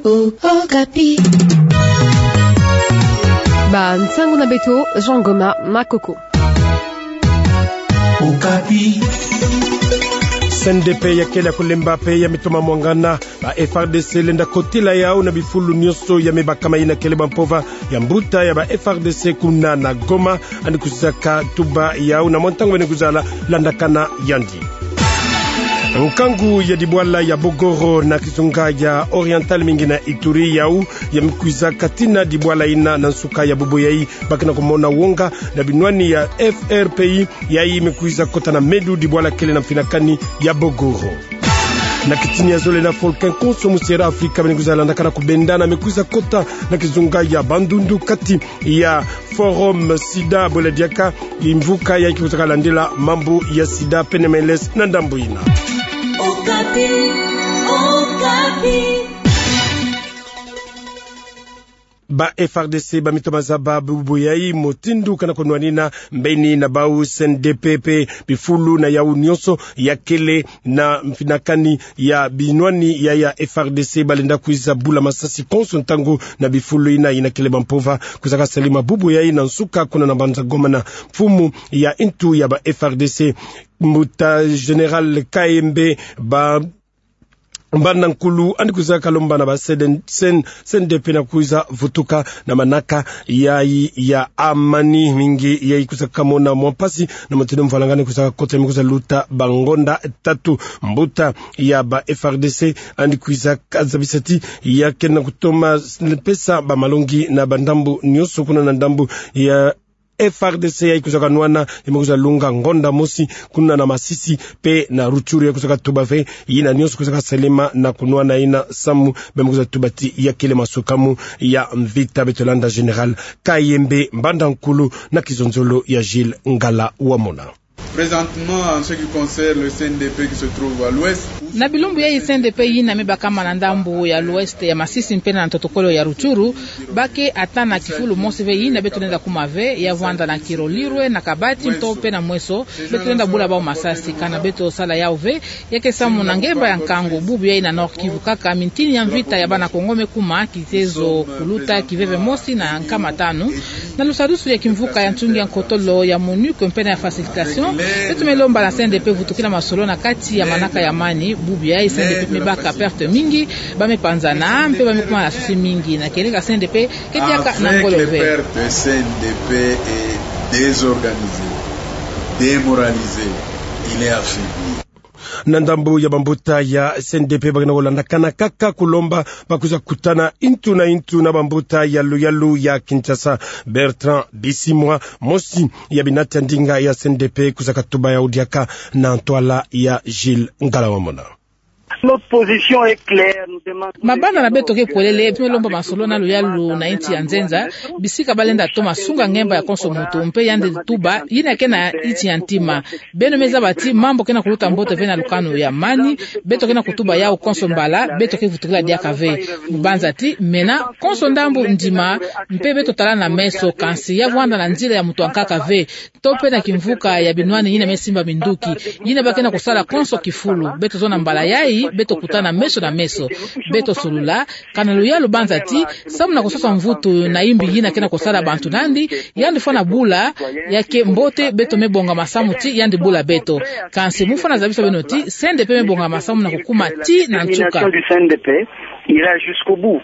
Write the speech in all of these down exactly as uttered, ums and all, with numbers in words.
Okapi. Bansangu na beto, Jean Goma Makoko. Okapi. C N D P ya kele ya kulemba pe ya mitoma mwangana, ba F R D C lenda kotila yau na bifulu nyonso ya mibakama ina kele ba mpova ya mbuta ya ba F R D C kuna na Goma, yandi kwiza ka tuba yau na mwa ntangu bene kwiza la landakana yandi. Nkangu ya dibwala ya Bogoro na kizunga ya Oriental mingi na Ituri yau, ya mikwiza katina dibwala ina na nsuka ya bubu yai, ba kena kumona wonga na binwani ya F R P I, yai mikwiza kota na medu dibwala kele na mfinakani ya Bogoro. Na kitini ya zole na Volcan konso musi ya Afrika bene kwiza landakana kubendana mikwiza kota na kizunga ya Bandundu kati ya Forum Sida, bole diaka kimvuka yai kikwizaka landila mambu ya Sida pene meles na ndambu ina. Okapi, Okapi. Ba F R D C ba mitoma zaba bubu yai mutindu kana kunwanina mbeni na bau C N D P pe bifulu na yau nyonso ya kele na mfinakani ya binwani ya, ya F R D C balenda kwiza bula masasi konso ntangu na bifulu ina, ina kele ba mpova kwiza ka salema bubu yai na nsuka kuna na mbanza Goma na mfumu ya ntu ya ba F R D C, mbuta Général Kayembe ba Mbanda Nkulu, yandi kwiza kalomba na ba C N D P na kwiza vutuka na manaka yai ya amani mingi yai kwiza kamona mwa mpasi na mutindu mvalangani kwiza kakota mi kwiza luta bangonda tatu. Mbuta ya ba F R D C yandi kwiza kazabisa ti ya kena kutoma pesa ba malongi na bandambu nyonso kuna na ndambu ya F R D C yai kwiza kanwana, yai mikwiza lunga ngonda mosi kuna na Masisi pe na Rutshuru, yai kwiza katuba ve yina nyonso kwiza kasalema na kunwana yina samu ba mikwiza tuba ti ya kele masukamu ya mvita. Beto landa Général Kayembe Mbanda Nkulu na kizonzolo ya Gilles Ngala Wamona. Présentement, en ce qui concerne le C N D P qui se trouve à l'ouest, na bilumbu yai C N D P yina mibakama na ndambu ya l'ouest ya Masisi mpe na ntotokolo ya Rutshuru, ba ke ata na kifulu mosi ve yina beto lenda kuma ve, ya vwanda na Kirolirwe, na Kabati, nto pe na Mweso, beto lenda bula bau masasi, kana beto sala yau ve, ya ke samu na ngemba ya nkangu, bubu yai na Nord-Kivu kaka, mintini ya mvita ya bana Kongo me kuma, kitezo kuluta kiveve mosi na nkama tanu, na lusadusu ya kimvuka ya ntungi ya nkotolo ya MONUC mpe na ya facilitation, beto me lomba na C N D P vutukila masolo na kati ya manaka ya amani, bubu yai C N D P mibaka perte mingi, ba me panzana, mpe ba me kuma na susi mingi, na kieleka C N D P ke diaka na ngolo ve. Avec les pertes, C N D P est désorganisé, démoralisé, il est affaibli. Na ndambu ya bambuta ya C N D P ba kena kulandakana kaka kulomba ba kwiza kutana ntu na ntu na bambuta ya luyalu ya Kinshasa. Bertrand Bisimwa, mosi ya binati ya ndinga ya C N D P, kwiza katuba yau diaka na ntwala ya Gilles Ngala Wamona. Notre position est claire, nous demandons. Mabanda na beto ke polele, beto me lomba masolo na luyalu na insi ya nzenza, bisika balenda toma sunga ngemba ya konso muntu, mpe yandi tuba yina ke na insi ya ntima. Beno me zaba ti mambu kena kuluta mbote ve na lukanu ya amani, beto kena kutuba yau konso mbala, beto ke vutukila diaka ve. Mu banza ti mena konso ndambu ndima, mpe beto tala na meso, kansi ya vwanda na nzila ya muntu ankaka ve. To pe na kimvuka ya binwani yina me simba minduki, yina ba kena kusala konso kifulu. Beto zona mbala yai, beto kutana meso na meso. Beto solula, kana luyalu banza ti, samu na kusosa mvutu na imbi yina kena kusala bantu nandi, yandi fwana bula, ya ke mbote beto me bonga masamu ti yandi bula beto. Kansi mu fwana zabisa beno ti, C N D P me bonga masamu na kukuma ti na nsuka. Détermination du C N D P ira jusqu'au bout.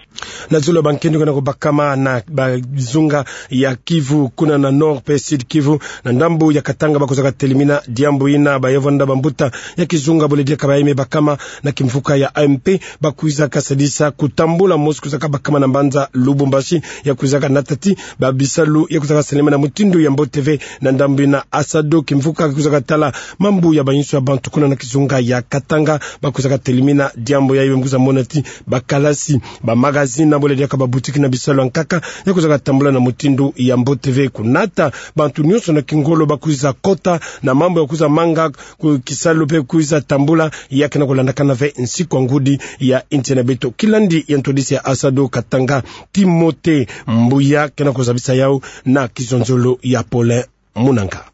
Na zulu ya bankento kena kubakama na bazunga ya Kivu, kuna na Nord pe Sud Kivu, na ndambu ya Katanga, ba kwiza katelemina diambu yina, ba ya vwanda bambuta ya kizunga bole diaka ba ya me bakama na kimvuka ya A M P, ba kwiza kasadisa kutambula mosi kwiza kabakama na mbanza Lubumbashi, ya kwiza kanata ti ba bisalu ya kwiza kasalema na mutindu ya mbote ve. Na ndambu yina ASADO, kimvuka kwiza katala mambu ya bayinsu ya bantu kuna na kizunga ya Katanga, ba kwiza katelemina diambu yai, ba kwiza mona ti bakalasi, bamagazini, bole diaka babutiki na bisalu ya nkaka, ya kwiza katambula na mutindu ya mbote ve. Kunata bantu nyonso na kingolo ba kwiza kota na mambu ya kwiza manga ku kisalu pe kwiza tambula, ya kena kulandakana ve nsiku ya ngudi ya insi na beto. Kilandi ya ntwadisi ya ASADO Katanga, Timothée Mbuya, kena kuzabisa yau na kizonzolo ya Paulin Munanga.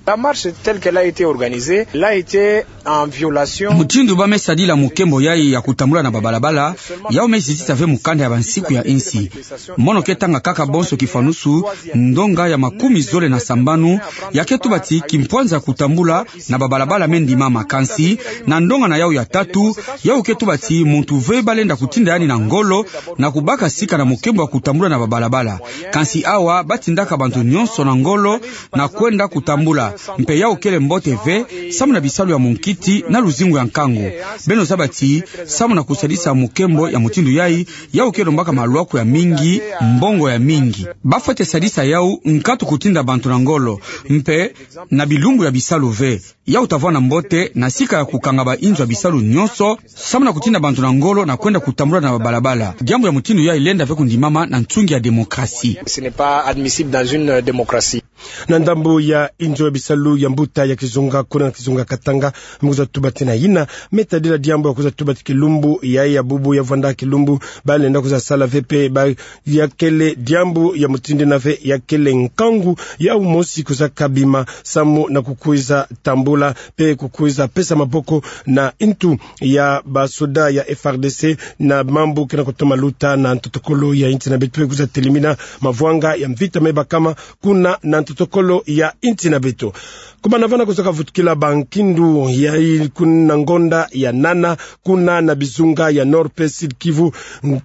La marche telle qu'elle a été organisée, elle a été en violation. Mutindu ba me sadila mukembo yayi ya kutambula na babalabala, yawu me zitisa ve mukanda ya bansiku ya insi. Mono ke tanga kaka bonso kifanusu, ndonga ya makumi zole na sambanu ya ke tuba ti kimpwanza ya kutambula na babalabala me ndimama, kansi na ndonga na yawu ya tatu, yawu ke tuba ti muntu ve ba lenda kutinda yandi na ngolo na kubaka sika na mukembo ya kutambula na babalabala. Kansi awa ba tindaka bantu nyonso na ngolo na kwenda kutambula. Mpe yawu kele mbote ve, samu na bisalu ya munkiti na luzingu ya nkangu. Beno zaba ti, samu na kusadisa mukembo ya mutindu yayi, yawu ke lombaka malwaku ya mingi, mbongo ya mingi. Ba fwete sadisa yawu, nkatu kutinda bantu na ngolo, mpe na bilumbu ya bisalu ve. Yawu ta vwanda mbote na sika ya kukanga bainzo ya bisalu nyonso, samu na kutinda bantu na ngolo na kwenda kutambula na babalabala. Diambu ya mutindu yayi lenda ve kundimama na nsungi ya démocratie. Ce n'est pas admissible dans une démocratie. Na ndambu ya inzo ya bisalu ya mbuta ya kizunga, kuna na kizunga Katanga, me kwiza tuba ti na yina me tadila diambu ya kwiza tuba ti kilumbu yayi ya bubu ya vwanda kilumbu ba lenda kwiza sala ve mpe ba ya kele diambu ya mutindu yina ve ya kele nkangu yawu mosi kwiza kabima samu na kukwiza tambula mpe kukwiza pesa maboko na ntu ya basoda ya F R D C na mambu ke na kutoma luta na ntotokolo ya insi na beto mpe kwiza telimina mavwanga ya mvita me bakama kuna na ntotokolo ya insi na beto. Kumana vana kwiza kavutukila bankindu yayi kuna ngonda ya nana, kuna na bizunga ya Nord mpe Sud Kivu,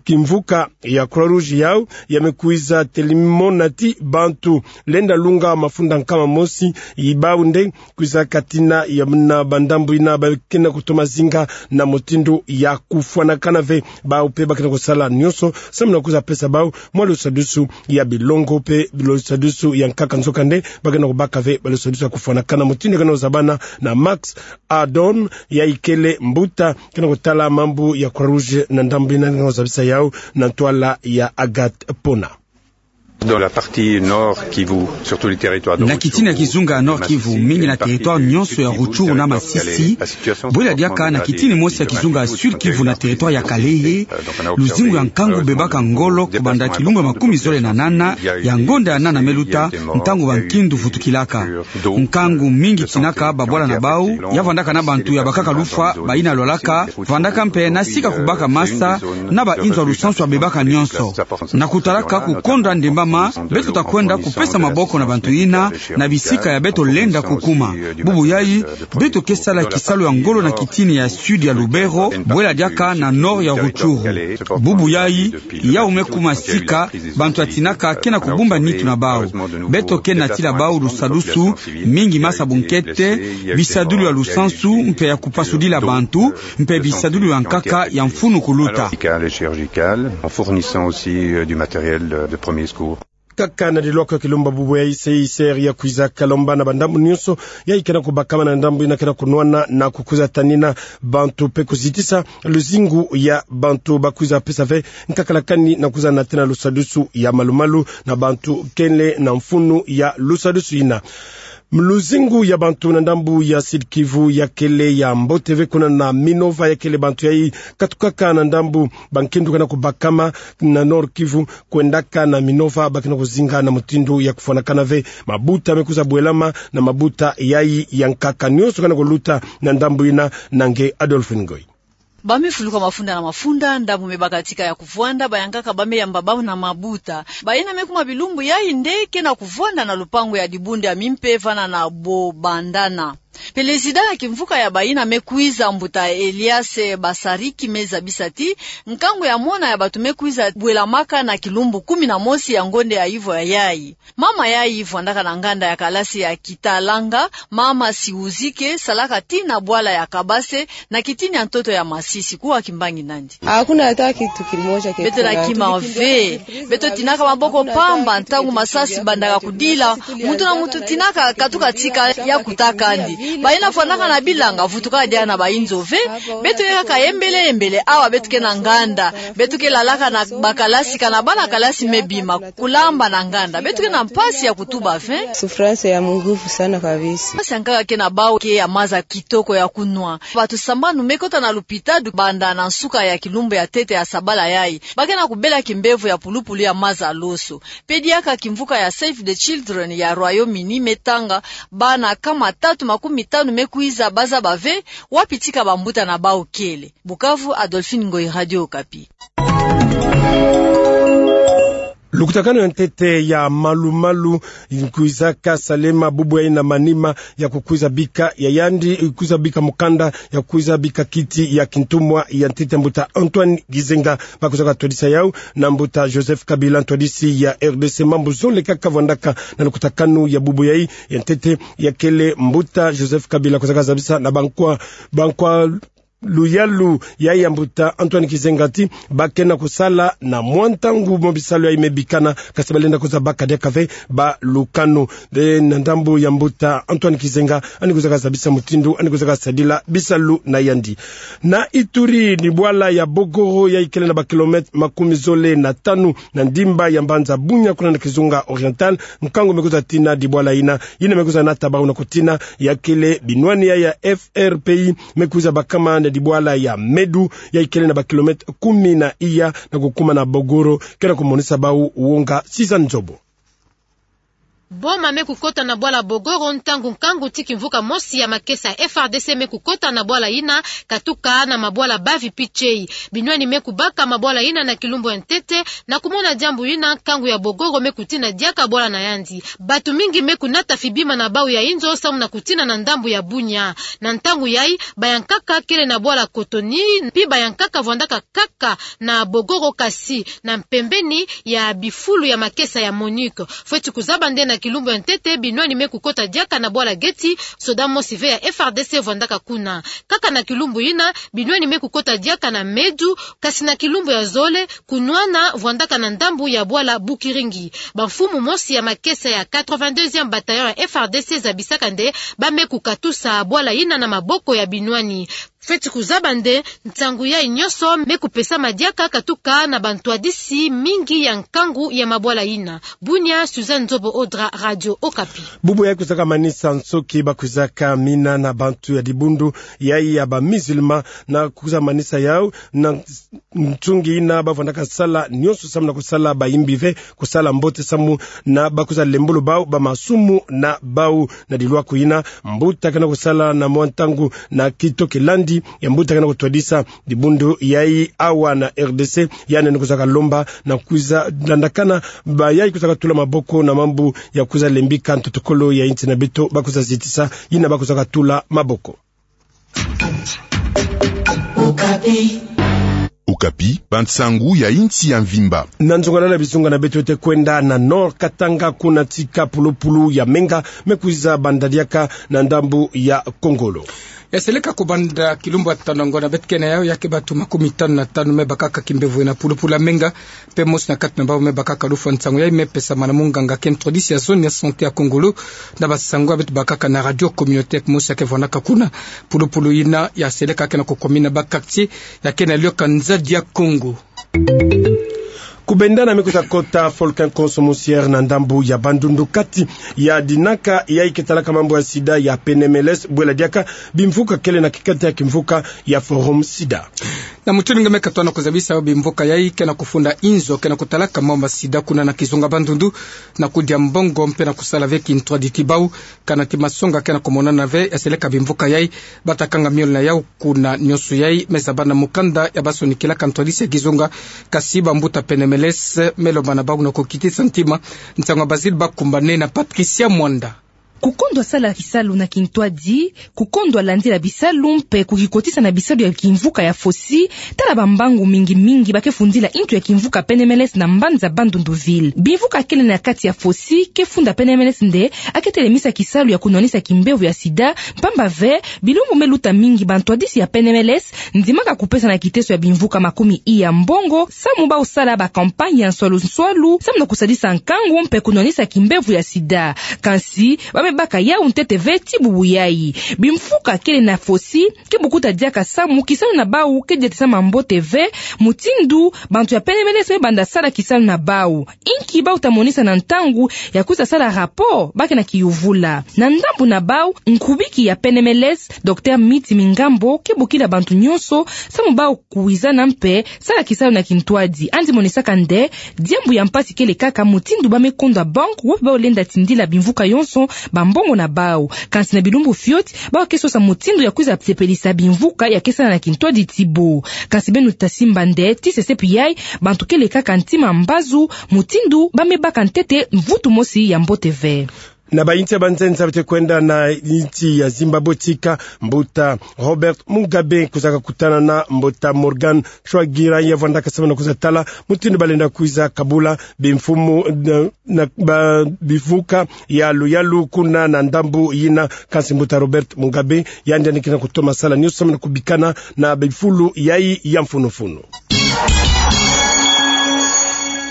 kimvuka ya Croix-Rouge yawu ya me kwiza telimona ti bantu lenda lunga mafunda nkama mosi, i bawu nde kwiza katina ya muna bandambu yina ba ke na kutoma zinga na mutindu ya kufwanakana ve. Bawu mpe ba ke na kusala nyonso samu na kwiza pesa bawu mwa lusadusu ya bilongo mpe lusadusu ya nkaka, nzokande ba ke na kubaka ve ba lusadusu ya kufwanakana. Mutindu ke na kuzabana na Max Ardon, yayi kele mbuta ke na kutala mambu ya Croix-Rouge na ndambu yina, ke na kuzabisa yawu na ntwala ya Agathe Pona. Dans la partie Nord Kivu, surtout les territoires de Rutshuru, na kitini ya kizunga ya Nord Kivu, mingi na territoire nyonso ya Rutshuru na Masisi, bwela diaka na kitini mosi ya kizunga ya Sud Kivu na territoire ya Kalehe, luzingu ya nkangu bebaka ngolo kubanda kilumbu ya makumi zole na nana ya ngonda ya nana me luta, ntangu bankindu vutukilaka. Nkangu mingi tinaka babwala na bawu, ya vandaka na bantu ya bakaka lufwa, bayina lwalaka, vandaka mpe na sika kubaka masa, na bainzo ya lusansu ya bebaka nyonso. Na kutalaka kukonda ndembama, beto ta kwenda kupesa maboko na bantu yina, na bisika ya beto lenda kukuma. Bubu yayi, beto ke sala kisalu ya ngolo na kitini ya Sud ya Lubero, bwela diaka na Nord ya Rutshuru. Bubu yayi, yawu me kuma sika, bantu ya tinaka ke na kubumba nitu na bawu. Beto ke na tila bawu lusadusu, mingi masa bunkete, bisadulu ya lusansu, mpe ya kupasudila bantu, mpe bisadulu ya nkaka ya mfunu kuluta. Médical et chirurgical, en fournissant aussi, euh, du matériel, euh, de premier secours. Kaka na dilwaka kilumbu bubu yayi, C I C R ya kwiza kalomba na bandambu nyonso yayi ke na kubakama na ndambu yina ke na kunwana na kukwiza tanina bantu mpe kuzitisa luzingu ya bantu, ba kwiza pesa ve nkaka lakani na kwiza natina lusadusu ya malumalu na bantu kele na mfunu ya lusadusu yina. Luzingu ya bantu na ndambu ya Sud Kivu ya kele ya mbote ve, kuna na Minova ya kele bantu yayi katukaka na ndambu, bankindu ke na kubakama na Nord Kivu kwendaka na Minova, ba ke na kuzinga na mutindu ya kufwanakana ve. Mabuta me kwiza bwelama na mabuta yayi ya nkaka, nyonso ke na kuluta na ndambu yina. Na nge Adolphe Ngoyi. Ba me fuluka mafunda na mafunda, ndambu me bakatika ya kuvwanda, bayankaka ba me yamba bawu na mabuta. Bayina me kuma bilumbu yayi nde ke na kuvwanda na lupangu ya dibundu ya mimpe vana na Bobandana. Pelezida ya kimvuka ya bayina me kwiza, mbuta Elias Basariki, me zabisa ti nkangu ya mona ya bantu me kwiza bwelamaka na kilumbu kumi na mosi ya ngonda ya ivo ya yayi. Mama yayi vwandaka na nganda ya kalasi ya Kitalanga, mama Siuzike, salaka tii na bwala ya Kabase, na kitini ya ntoto ya Masisi, kuwa kimbangi nandi. Hakuna hata kitu kimoja. Beto na kima ve, beto tinaka maboko pamba ntangu masasi bandaka kudila, muntu na muntu tinaka katuka tika ya kuta kandi. Bayina fwanakana bilanga, vutukaka diaka na bayinzo ve. Beto ke kaka yembele yembele, awa beto ke na nganda. Beto ke lalaka na bakalasi, kana bana kalasi me bima, kulamba na nganda. Beto ke na mpasi ya kutuba ve. Souffrance ya munguvu sana kabisa. Mpasi yankaka ke na bawu ke ya maza kitoko ya kunwa. Bato sambanu me kota na lupitalu banda na nsuka ya kilumbu ya ntete ya sabala yayi. Ba ke na kubela kimbevo ya pulupulu ya maza loso. Pe diaka kimvuka ya Save the Children ya Royaume-Uni me tanga bana nkama tatu makumi tanu me kwiza, ba zaba ve wapi tika bambuta na bawu kele. Bukavu, Adolphine Ngoyi, Radio Okapi. Lukutakanu ya ntete ya malu-malu kwizaka salema bubu yayi na manima ya kukwiza bika ya yandi, kwiza bika mukanda ya kwiza bika kiti ya kintumwa ya ntete mbuta Antoine Gizenga. Ba kwizaka twadisa yawu na mbuta Joseph Kabila, ntwadisi ya R D C. Mambu zole kaka vwandaka na lukutakanu ya bubu yayi ya ntete, ya kele mbuta Joseph Kabila kwizaka zabisa na bankwa, bankwa luyalu yayi ya mbuta Antoine Gizenga ti ba ke na kusala na mwa ntangu mo bisalu yayi me bikana, kasi balenda kwiza baka diaka ve balukanu. Nde na ndambu ya mbuta Antoine Gizenga, yandi kwizaka zabisa mutindu yandi kwizaka sadila bisalu na yandi. Na Ituri, ni bwala ya Bogoro yayi kele na ba kilomètre makumi zole na tanu na ndimba ya mbanza Bunia, kuna na Kizunga Oriental, nkangu me kwiza tina dibwala yina. Yina me kwiza nata bawu na kutina, ya kele binwani yayi ya F R P I, me kwiza bakama na dibwala ya Medu, yayi kele na ba kilomètre kumi na iya na kukuma na Bogoro, ke na kumonisa bawu wonga. Suzanne Nzobo. Boma me kukota na bwala Bogoro ntangu nkangu ti kimvuka mosi ya makesa ya F R D C me kukota na bwala yina, katuka na mabwala Bavi Pichei. Binwani me kubaka mabwala yina na kilumbu ya ntete, na kumona diambu yina, nkangu ya Bogoro me kutina diaka bwala na yandi. Bato mingi me kunata fibima na bawu ya inzo samu na kutina na ndambu ya Bunia. Na ntangu yayi, bayankaka kele na bwala Kotoni, pi bayankaka vwandaka kaka na Bogoro, kasi na mpembeni ya bifulu ya makesa ya MONUC. Fweti kuzaba nde na kilumbu ya ntete, binwani me kukota diaka na bwala Geti, soda mosi ve ya F R D C vwandaka kuna. Kaka na kilumbu yina, binwani me kukota diaka na Medu, kasi na kilumbu ya zole, kunwana vwandaka na ndambu ya bwala Bukiringi. Bamfumu mosi ya makesa ya quatre-vingt-deuxième bataillon ya F R D C zabisaka nde ba me kukatusa bwala yina na maboko ya binwani. Fweti kuzaba nde nsangu yayi nyonso me kupesama diaka katuka na bantwadisi mingi ya nkangu ya mabwala yina. Bunia, Suzanne Nzobo Odra, Radio Okapi. Bubu yayi kwizaka manisa nsoki ba kwizaka mina na bantu ya dibundu yayi ya ba musulmans, na kwiza manisa yawu na ntungi yina ba vwandaka sala nyonso samu na kusala bayimbi ve kusala mbote samu na ba kwiza lembolo bawu ba masumu na bawu. Na dilwaku yina, mbuta ke na kusala na mwa ntangu na kito kilandi ya mbuta ke na kutwadisa dibundu yayi awa na R D C, yandi ni kwizaka lomba na kwiza landakana bayayi kwizaka tula maboko na mambu ya kwiza lembika ntotokolo ya insi na beto, ba kwiza zitisa yina ba kwizaka tula maboko. Okapi. Okapi, bansangu ya insi ya mvimba. Na nzongalala bizunga na beto ete kwenda na Nord Katanga, kuna tika pulupulu ya menga me kwiza banda diaka na ndambu ya Kongolo. Ya seleka kubanda kilumbu ya tanu ngonda beto ke na yawu, ya ke bato makumi tanu na tanu me bakaka kimbevo na pulupulu ya menga, mpe mosi na kati na bawu me bakaka lufwa. Nsangu yayi me pesama na munganga ke ntwadisi ya zone ya santé ya Kongolo, na basangu ya beto bakaka na radio communautaire mosi ya ke vwandaka kuna. Pulupulu yina ya seleka ke na kukwamina ba quartiers ya ke na lioka Nzadi ya Kongo. Kubendana me kwiza kota Volcan Konso Moussière na ndambu ya Bandundu, kati ya dinaka yayi ke talaka mambu ya sida ya P N M L S, bwela diaka bimvuka kele na kikati ya kimvuka ya Forum Sida. Na mutindu nge me katoa na kuzabisa bimvuka yayi ke na kufunda inzo ke na kutalaka mambu ya sida kuna na kizunga Bandundu, na kudia mbongo mpe na kusala ve kintwaditi bawu, kana ti masonga ke na kumonana ve, ya seleka bimvuka yayi ba ta kanga miole na yawu kuna. Nyonso yayi me zaba na mukanda ya ba sonikilaka ntwadisi ya kizunga, kasi bambuta P N M L S me lomba na bawu na kukitisa ntima. Nsangu ya Basile Bakumbane na Patricia Mwanda. Kukondwa sala kisalu na kintwadi, kukondwa landila bisalu mpe kukikotisa na bisalu ya kimvuka ya fosi, tala bambangu mingi mingi ba ke fundila intu ya kimvuka P N M L S na mbanza Bandundu ville. Bimvuka kele na kati ya fosi ke funda P N M L S nde a ke telemisa kisalu ya kunwanisa kimbevo ya sida, mpamba ve bilumbu me luta mingi bantwadisi ya P N M L S ndimaka kupesa na kiteso ya bimvuka makumi iya mbongo samu ba kusala ba campagne ya nswalu nswalu samu na kusadisa nkangu mpe kunwanisa kimbevo ya sida. Kansi ba baka yau ntete ve ti bubu yai. Bimvuka kele na fosi, ke bukuta diaka samu, kisalu na bau ke diata samu mbote ve, mutindu bantu ya Pene Mélèze me banda sala kisalu na bau. Inki bau ta monisa na ntangu ya kwiza sala rapport, ba ke na kiyuvula. Na ndambu na bau, nkubiki ya Pene Mélèze, Docteur Miti Mingambo, ke bokila bantu nyonso samu bau kwizana mpe sala kisalu na kintwadi. Yandi monisaka nde, diambu ya mpasi kele kaka mutindu ba me kondwa banque, wapi bau lenda tindila bimvuka yonso bambongo na bau. Kansi na bilumbu fioti, bau ke sosa mutindu ya kwiza sepelisa bimvuka ya ke sala na kintwadi ti bau. Kansi beno ta simba nde, ti sesepi yai, bantu kele kaka ntima mbazu, mutindu ba me baka ntete mvutu mosi ya mbote ve. Na bayinti ya banzenza bete kwenda na yinti ya Zimbabwe tika, mbuta Robert Mugabe kwizaka kutana na mbuta Morgan Tsvangirai, ya vwandaka samu na kwiza tala mutindu ba lenda kwiza kabula bimfumu na, na ba bimvuka ya luyalu kuna na ndambu yina. Kansi mbuta Robert Mugabe, yandi yandi kina kutoma sala nyonso samu na kubikana na bifulu yai ya mfunu-mfunu.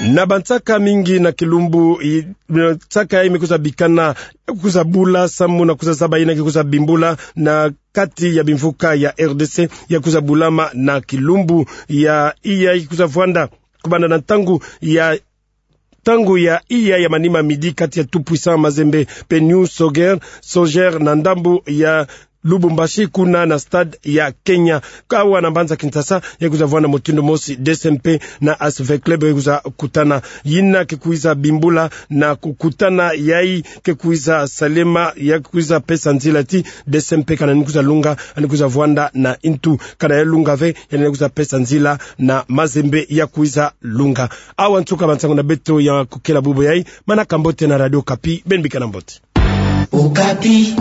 Na bansaka mingi na kilumbu i-, nsaka yai me kwiza bikana, kwiza bula samu na kwiza zaba yina ke kwiza bimbula na kati ya bimvuka ya R D C, ya kwiza bulama na kilumbu ya iya kwiza vwanda kubanda na ntangu ya, ntangu ya iya ya manima midi kati ya Tout Puissant Mazembe pe New Soccer, Soccer na ndambu ya Lubumbashi kuna na stade ya Kenya. Awa na mbanza Kinshasa, ya kwiza vwanda mutindu mosi, D C M P na A S V Club ya kwiza kutana. Yina ke kwiza bimbula na kukutana yai ke kwiza salema, ya kwiza pesa nzila ti D C M P kana ni kwiza lunga, ani kwiza vwanda na intu, kana ya lunga ve, yani kwiza pesa nzila na Mazembe ya kwiza lunga. Awa nsuka bansangu na beto ya kukela bubu yai, manaka mbote na Radio Okapi, beno bikana mbote. Okapi.